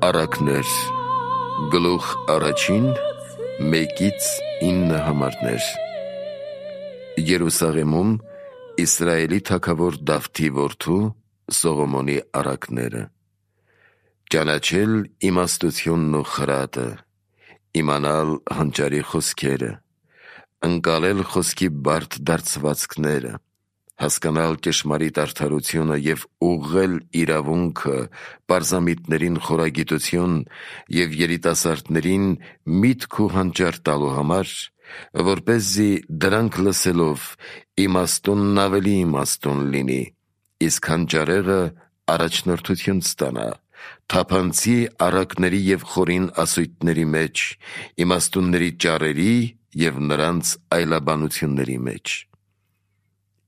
Առակներ, գլուխ առաջին, 1-9 համարներ։ Երուսաղեմում Իսրայելի թագավոր Դավթի որդու Սողոմոնի առակները։ Ճանաչել իմաստությունն ու խրատը, իմանալ հանճարի խոսքերը, ընկալել խոսքի բարդ դարձվածքները, հասկանալ ճշմարիտ արդարությունը և ուղղել իրավունքը, պարզամիտներին խորագիտություն և երիտասարդներին միտք ու հանճար տալու համար, որպեսզի դրանք լսելով իմաստունն ավելի իմաստուն լինի, իսկ հանճարեղը առաջնորդություն ստանա, թափանցի առակների և խորին ասույթների մեջ, իմաստունների ճառերի և նրանց այլաբանությունների մեջ։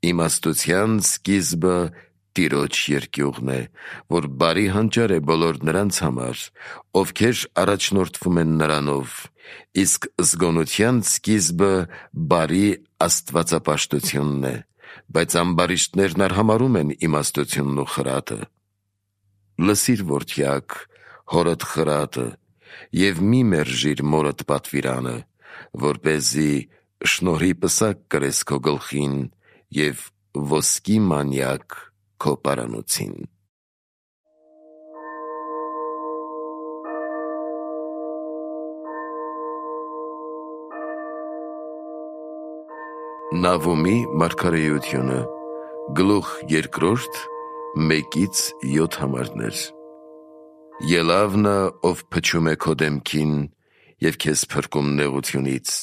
Իմաստության սկիզբը Տիրոջ երկյուղն է, որ բարի հանճար է բոլոր նրանց համար, ովքեր առաջնորդվում են նրանով, իսկ զգոնության սկիզբը բարի աստվածապաշտությունն է, բայց ամբարիշտներն արհամարհում են իմաստությունն ու խրատը։ Լսիր, որդյակ, հորդ խրատը և մի մերժիր մորդ պատվիրանը, որպեսզի շնորհի պսակ կրես քո գլխին և ոսկի մանյակ քո պարանոցին։ Նավոմի մարգարեությունը, գլուխ 2, 1-7 համարներ։ Ելավ նա, ով փչում է քո դեմքին և քեզ փրկում նեղությունից։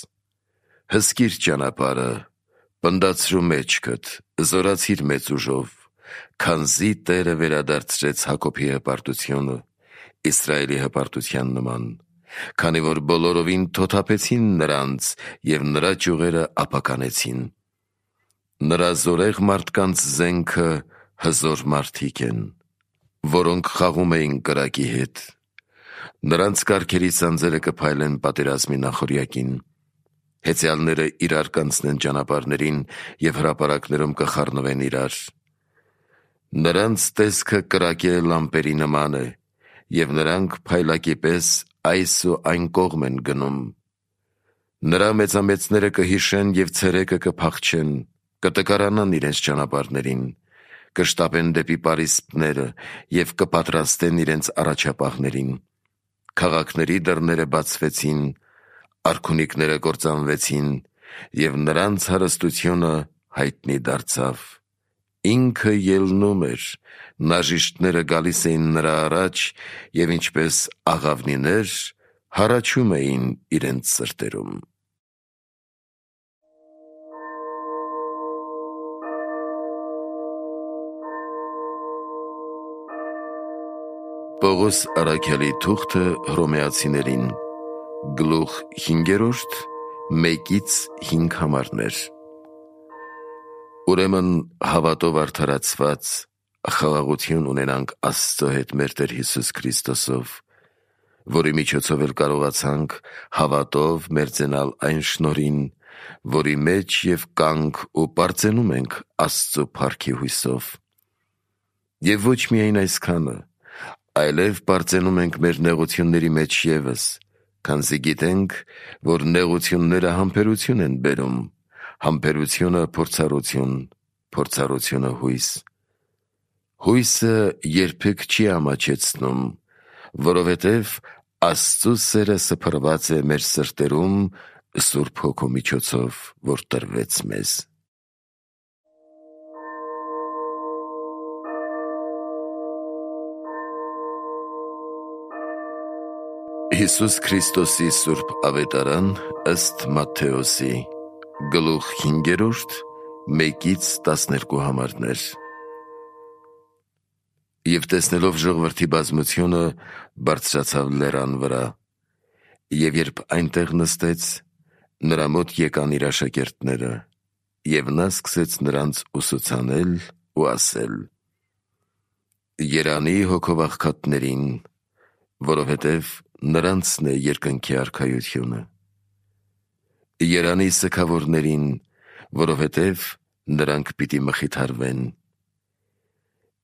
Հսկիր ճանապարհը, պնդացրու մեջքդ, զորացիր մեծ ուժով, քանզի Տերը վերադարձրեց Հակոբի հպարտությունը, Իսրայելի հպարտության նման, քանի որ բոլորովին թոթափեցին նրանց և նրա ճյուղերը ապականեցին։ Նրա զորեղ մարդկանց զենքը հզոր մարդիկ են, որոնք խաղում էին կրակի հետ։ Նրանց կառքերի սանձերը կփայլեն պատերազմի նախօրյակին։ Հեծյալները իրար կանցնեն ճանապարհներին և հրապարակներում կխառնվեն իրար։ Նրանց տեսքը կրակե լամպերի նման է, և նրանք փայլակի պես այս ու այն կողմ են գնում։ Նրա մեծամեծները կհիշեն և ցերեկը կփախչեն, կտկարանան իրենց ճանապարհներին, կշտապեն դեպի պարիսպները և կպատրաստեն իրենց առաջապահներին։ Քաղաքների դռները բացվեցին, արքունիքները կործանվեցին, և նրանց հարստությունը հայտնի դարձավ։ Ինքը ելնում էր, նաժիշտները գալիս էին նրա առաջ, և ինչպես աղավնիներ, հառաչում էին իրենց սրտերում։ Պողոս առաքյալի թուղթը Հռոմեացիներին, գլուխ 5, 1-5 համարներ։ Ուրեմն հավատով արդարացված խաղաղություն ունենանք Աստծո հետ մեր Տեր Հիսուս Քրիստոսով, որի միջոցով էլ կարողացանք հավատով մերձենալ այն շնորհին, որի մեջ և կանք ու պարծենում ենք Աստծո փառքի հույսով։ Եվ ոչ միայն այսքանը, այլև պարծենում ենք մեր նեղությունների մեջ ևս, քանզի գիտենք, որ նեղությունները համբերություն են բերում, համբերությունը փորձառություն, փորձառությունը հույս։ Հույսը երբեք չի ամաչեցնում, որովհետև Աստծո սերը սփռված է մեր սրտերում Սուրբ Հոգու միջոցով, որ տրվեց մեզ։ Հիսուս Քրիստոսի Սուրբ Ավետարան ըստ Մատթեոսի, գլուխ 5, 1-12 համարներ։ Եվ տեսնելով ժողովրդի բազմությունը, բարձրացավ լեռան վրա, և երբ այնտեղ նստեց, նրա մոտ եկան իր աշակերտները, և նա սկսեց նրանց ուսուցանել ու ասել. «Երանի հոգով աղքատներին, որովհետև նրանցն է երկնքի արքայությունը։ Երանի սգավորներին, որովհետև նրանք պիտի մխիթարվեն։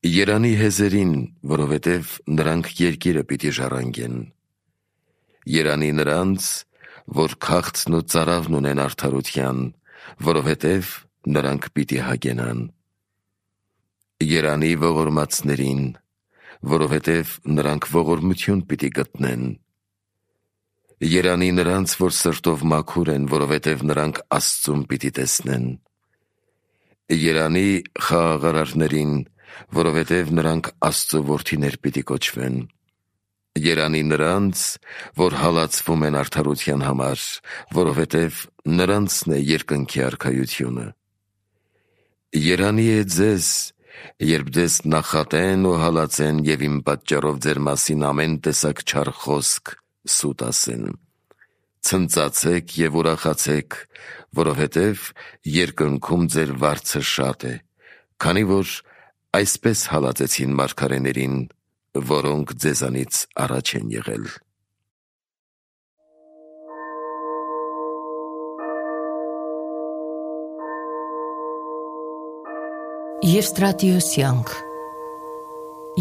Երանի հեզերին, որովհետև նրանք երկիրը պիտի ժառանգեն։ Երանի նրանց, որ քաղցն ու ծարավն ունեն արդարության, որովհետև նրանք պիտի հագենան։ Երանի ողորմածներին, որովհետև նրանք ողորմություն պիտի գտնեն։ Երանի նրանց, որ սրտով մաքուր են, որովհետև նրանք Աստծուն պիտի տեսնեն։ Երանի խաղաղարարներին, որովհետև նրանք Աստծո որդիներ պիտի կոչվեն։ Երանի նրանց, որ հալածվում են արդարության համար, որովհետև նրանցն է երկնքի արքայությունը։ Երանի է ձեզ, երբ ձեզ նախատեն ու հալածեն և իմ պատճառով ձեր մասին ամեն տեսակ չար խոսք սուտ ասեն։ Ցնծացեք և ուրախացեք, որովհետև երկնքում ձեր վարձը շատ է, քանի որ այսպես հալածեցին մարգարեներին, որոնք ձեզանից առաջ են եղել։ Եվստրատիոսյանք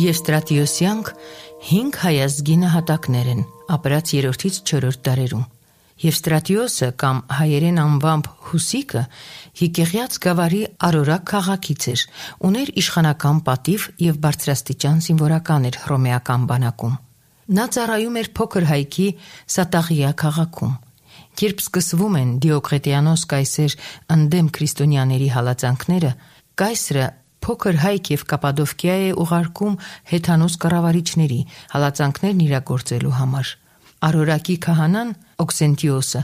Եվստրատիոսյանք 5 հայազգի նահատակներ են, ապրած 3-ից 4 դարերում։ Եվստրատիոսը կամ հայերեն անվամբ Հուսիկը Յիկեղյաց գավառի Արորակ քաղաքից էր, ուներ իշխանական պատիվ և բարձրաստիճան զինվորական էր հռոմեական բանակում։ Նա ծառայում էր փոքր հայքի Սատաղիա քաղաքում։ Երբ սկսվում են Դիոկլետիանոս կայսեր ընդդեմ քրիստոնյաների հալածանքները, կայսրը փոքր հայք և Կապադովկիա է ուղարկում հեթանոս կառավարիչների հալածանքներն իրագործելու համար։ Արորակի քահանան Օքսենտիոսը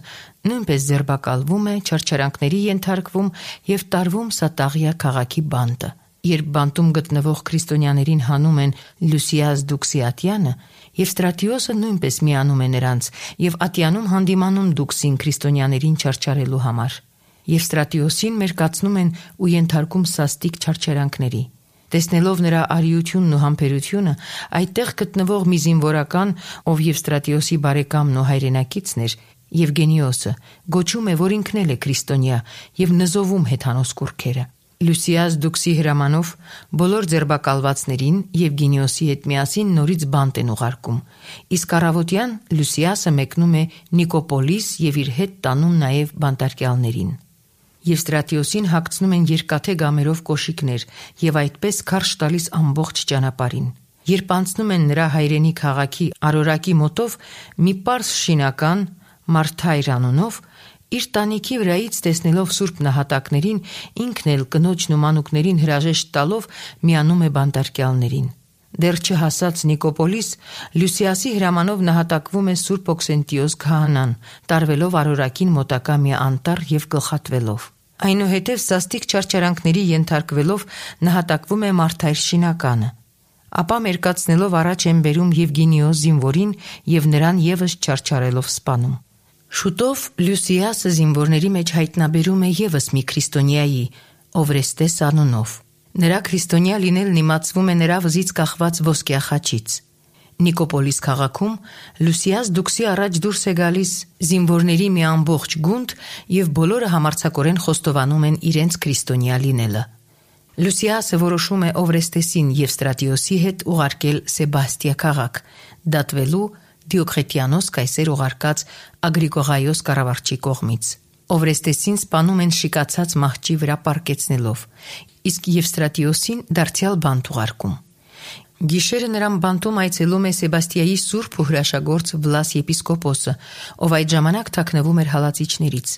նույնպես ձերբակալվում է, չարչարանքների ենթարկվում և տարվում Սատաղիա քաղաքի բանտը։ Երբ բանտում գտնվող քրիստոնյաներին հանում են Լուսիաս Դուքսի ատյանը, Եվստրատիոսը նույնպես միանում է նրանց և ատյանում հանդիմանում Դուքսին քրիստոնյաներին չարչարելու համար։ Եվստրատիոսին մերկացնում են ու ենթարկում սաստիկ չարչարանքների։ Տեսնելով նրա արիությունն ու համբերությունը, այդտեղ գտնվող մի զինվորական, ով Եվստրատիոսի բարեկամն ու հայրենակիցն էր, Եվգենիոսը, գոչում է, որ ինքն էլ է քրիստոնյա և նզովում հեթանոս կուռքերը։ Լուսիաս Դուքսի հրամանով բոլոր ձերբակալվածներին Եվգենիոսի հետ միասին նորից բանտ են ուղարկում, իսկ առավոտյան Լուսիասը մեկնում է Նիկոպոլիս և իր հետ տանում նաև բանտարկյալներին։ Եվստրատիոսին հագցնում են երկաթե գամերով կոշիկներ և այդպես քարշ տալիս ամբողջ ճանապարհին։ Երբ անցնում են նրա հայրենի քաղաքի Արորակի մոտով, մի պարզ շինական Մարթայր անունով, իր տանիքի վրայից տեսնելով սուրբ նահատակներին, ինքն էլ կնոջն ու մանուկներին հրաժեշտ տալով միանում է բանտարկյալներին։ Դեռ չհասած Նիկոպոլիս, Լուսիասի հրամանով նահատակվում է սուրբ Օքսենտիոս քահանան, տարվելով Արորակին մոտակա մի անտառ և գլխատվելով։ Այնուհետև սաստիկ չարչարանքների ենթարկվելով նահատակվում է Մարթայր շինականը։ Ապա մերկացնելով առաջ են բերում Եվգենիոս զինվորին և նրան ևս չարչարելով սպանում։ Շուտով Լուսիասը զինվորների մեջ հայտնաբերում է ևս մի քրիստոնյայի, Օվրեստես անունով։ Նրա քրիստոնյա լինելն իմացվում է նրա վզից կախված ոսկյա խաչից։ Նիկոպոլիս քաղաքում Լուսիաս Դուքսի առաջ դուրս է գալիս զինվորների մի ամբողջ գունդ և բոլորը համարձակորեն խոստովանում են իրենց քրիստոնյա լինելը։ Լուսիասը որոշում է Օվրեստեսին Եվստրատիոսի հետ ուղարկել Սեբաստիա քաղաք, դատվելու Դիոկլետիանոս կայսեր ուղարկած Ագրիգորայոս կառավարչի կողմից։ Օվրեստեսին սպանում են շիկացած մահճի վրա պառկեցնելով, իսկ Եվստրատիոսին դարձյալ բանտ ուղարկում։ Գիշերը նրան բանտում այցելում է Սեբաստիայի սուրբ ու հրաշագործ Վլաս եպիսկոպոսը, ով այդ ժամանակ թաքնվում էր հալածիչներից։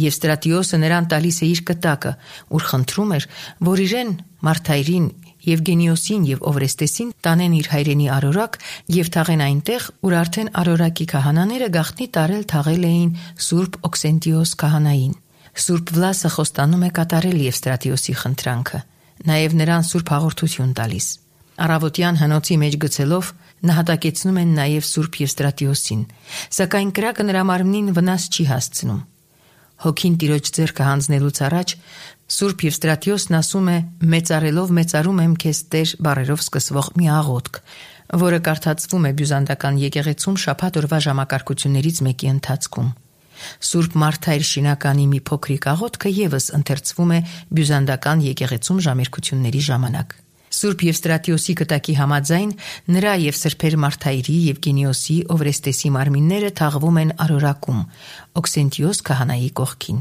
Եվստրատիոսը նրան տալիս է իր կտակը, ուր խնդրում էր, որ իրեն, Մարթայրին, Եվգենիոսին և Օվրեստեսին տանեն իր հայրենի Արորակ և թաղեն այնտեղ, ուր արդեն Արորակի քահանաները գաղտնի տարել թաղել էին սուրբ Օքսենտիոս քահանային։ Սուրբ Վլասը խոստանում է կատարել Եվստրատիոսի խնդրանքը, նաև նրան սուրբ հաղորդություն տալիս։ Առավոտյան հնոցի մեջ գցելով նահատակեցնում են նաև սուրբ Եվստրատիոսին, սակայն կրակը նրա մարմնին վնաս չի հասցնում։ Հոգին Տիրոջ ձեռքը հանձնելուց առաջ սուրբ Եվստրատիոսն ասում է. «Մեծարելով մեծարում եմ քեզ Տեր» բառերով սկսվող մի աղոթք, որը կարդացվում է բյուզանդական եկեղեցում շաբաթ օրվա ժամակարգություններից մեկի ընթացքում։ Սուրբ Մարթայր շինականի մի փոքրիկ աղոթքը ևս ընթերցվում է բյուզանդական եկեղեցում ժամերգությունների ժամանակ։ Սուրբ Եվստրատիոսի կտակի համաձայն նրա եւ սրբեր Մարթայրի, Եվգենիոսի, Օվրեստեսի մարմինները թաղվում են Արորակում, Օքսենտիոս քահանայի կողքին։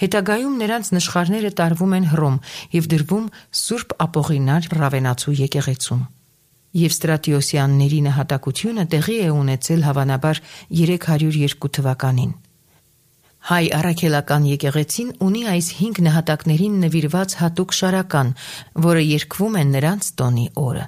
Հետագայում նրանց նշխարները տարվում են Հռոմ եւ դրվում Սուրբ Ապողինար Ռավենացու եկեղեցում։ Եվստրատիոսյանների նահատակությունը տեղի է ունեցել հավանաբար 302 թվականին։ Հայ առաքելական եկեղեցին ունի այս 5 նահատակներին նվիրված հատուկ շարական, որը երգվում է նրանց տոնի օրը։